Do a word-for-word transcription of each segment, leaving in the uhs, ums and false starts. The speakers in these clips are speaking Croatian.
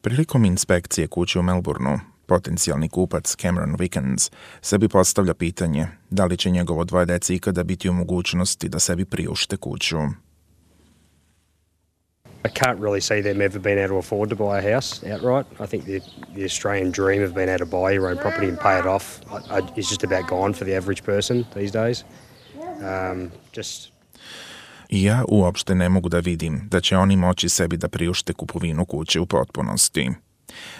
Prilikom inspekcije kuće u Melbourneu, potencijalni kupac Cameron Wickens sebi postavlja pitanje da li će njegovo dvoje dece ikada biti u mogućnosti da sebi priušte kuću. I can't really see them ever being able to afford to buy a house outright. I think the, the Australian dream of being able to buy your own property and pay it off is just about gone for the average person these days. Um, just... Ja uopšte ne mogu da vidim da će oni moći sebi da priušte kupovinu kuće u potpunosti.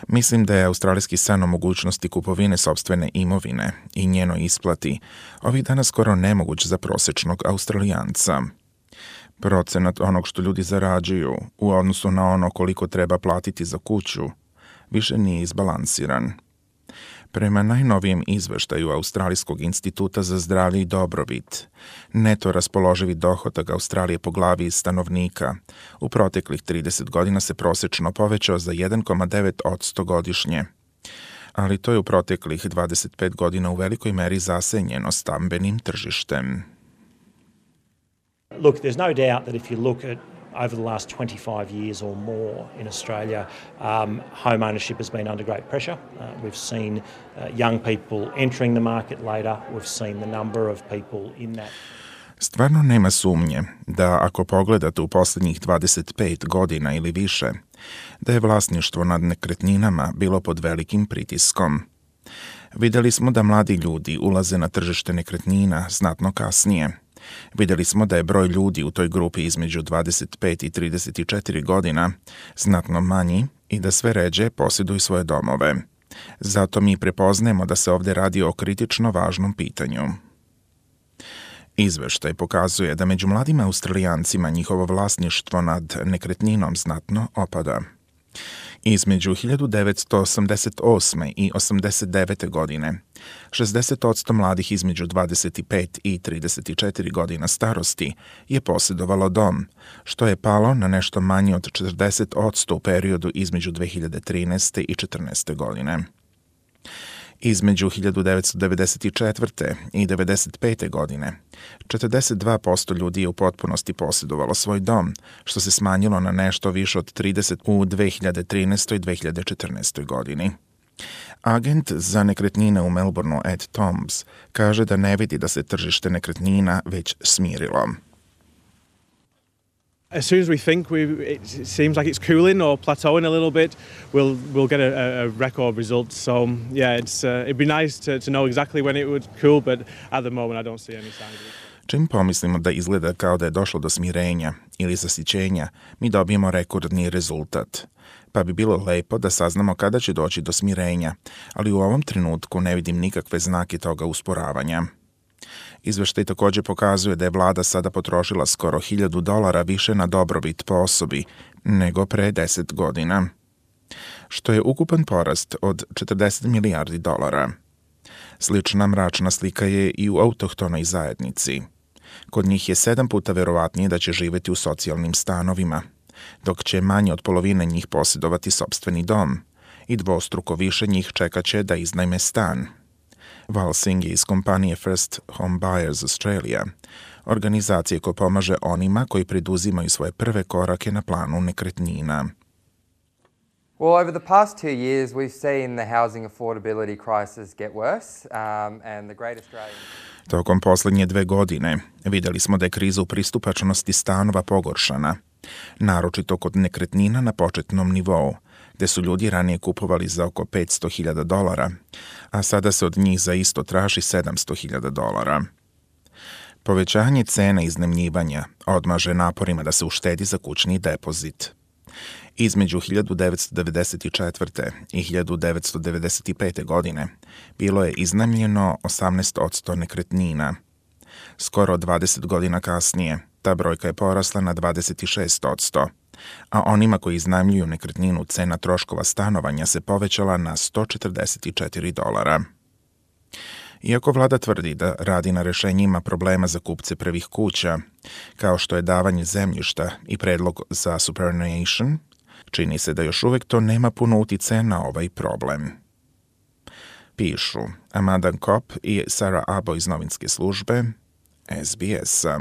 Mislim da je australijski san o mogućnosti kupovine sopstvene imovine i njenoj isplati ovih dana skoro nemoguć za prosječnog Australijanca. Procenat onog što ljudi zarađuju u odnosu na ono koliko treba platiti za kuću više nije izbalansiran. Prema najnovijem izveštaju Australijskog instituta za zdravlje i dobrobit, neto raspoloživi dohodak Australije po glavi stanovnika u proteklih trideset godina se prosječno povećao za jedan zarez devet posto godišnje, ali to je u proteklih dvadeset pet godina u velikoj meri zasenjeno stambenim tržištem. Look, there's no doubt that if you look at over the last twenty-five years or more in Australia, um, home ownership has been under great pressure. Uh, we've seen uh, young people entering the market later. We've seen the number of people in that. Stvarno nema sumnje da ako pogledate u posljednjih dvadeset pet godina ili više, da je vlasništvo nad nekretninama bilo pod velikim pritiskom. Vidjeli smo da mladi ljudi ulaze na tržište nekretnina znatno kasnije. Vidjeli smo da je broj ljudi u toj grupi između dvadeset pet i trideset četiri godina znatno manji i da sve ređe posjeduju svoje domove. Zato mi prepoznajemo da se ovdje radi o kritično važnom pitanju. Izveštaj pokazuje da među mladim Australijancima njihovo vlasništvo nad nekretninom znatno opada. Između hiljadu devetsto osamdeset osme i osamdeset devete godine, šezdeset posto mladih između dvadeset pet i trideset četiri godina starosti je posjedovalo dom, što je palo na nešto manje od četrdeset posto u periodu između dve hiljade trinaeste i četrnaeste godine. Između hiljadu devetsto devedeset četvrte i devedeset pete godine, četrdeset dva posto ljudi je u potpunosti posjedovalo svoj dom, što se smanjilo na nešto više od trideset u dve hiljade trinaestoj i dve hiljade četrnaestoj godini. Agent za nekretnine u Melbourneu Ed Tombs kaže da ne vidi da se tržište nekretnina već smirilo. As soon as we think we, it seems like it's cooling or plateauing a little bit, we'll we'll get a, a record result. So yeah, it's uh, it'd be nice to to know exactly when it would cool, but at the moment I don't see any signs of it. Čim pomislimo da izgleda kao da je došlo do smirenja ili zasićenja, mi dobijemo rekordni rezultat. Pa bi bilo lepo da saznamo kada će doći do smirenja, ali u ovom trenutku ne vidim nikakve znake toga usporavanja. Izveštaj također pokazuje da je vlada sada potrošila skoro hiljadu dolara više na dobrobit po osobi nego pre deset godina, što je ukupan porast od četrdeset milijardi dolara. Slična mračna slika je i u autohtonoj zajednici. Kod njih je sedam puta verovatnije da će živjeti u socijalnim stanovima, dok će manje od polovine njih posjedovati sopstveni dom i dvostruko više njih čekat će da iznajme stan. Val Singh je iz kompanije First Home Buyers Australia, organizacije koja pomaže onima koji preduzimaju svoje prve korake na planu nekretnina. Well, over the past two years, we've seen the housing affordability crisis get worse, um, and the Great Australian... Tokom posljednje dve godine vidjeli smo da je kriza u pristupačnosti stanova pogoršana, naročito kod nekretnina na početnom nivou, gde su ljudi ranije kupovali za oko petsto hiljada dolara, a sada se od njih za isto traži sedamsto hiljada dolara. Povećanje cena iznajmljivanja odmaže naporima da se uštedi za kućni depozit. Između hiljadu devetsto devedeset četvrte i hiljadu devetsto devedeset pete godine bilo je iznajmljeno osamnaest posto nekretnina. Skoro dvadeset godina kasnije ta brojka je porasla na dvadeset šest posto, a onima koji iznajmljuju nekretninu cena troškova stanovanja se povećala na sto četrdeset četiri dolara. Iako vlada tvrdi da radi na rešenjima problema za kupce prvih kuća, kao što je davanje zemljišta i predlog za superannuation, čini se da još uvijek to nema puno uticaja na ovaj problem. Pišu Amanda Kopp i Sarah Abo iz novinske službe S B S-a.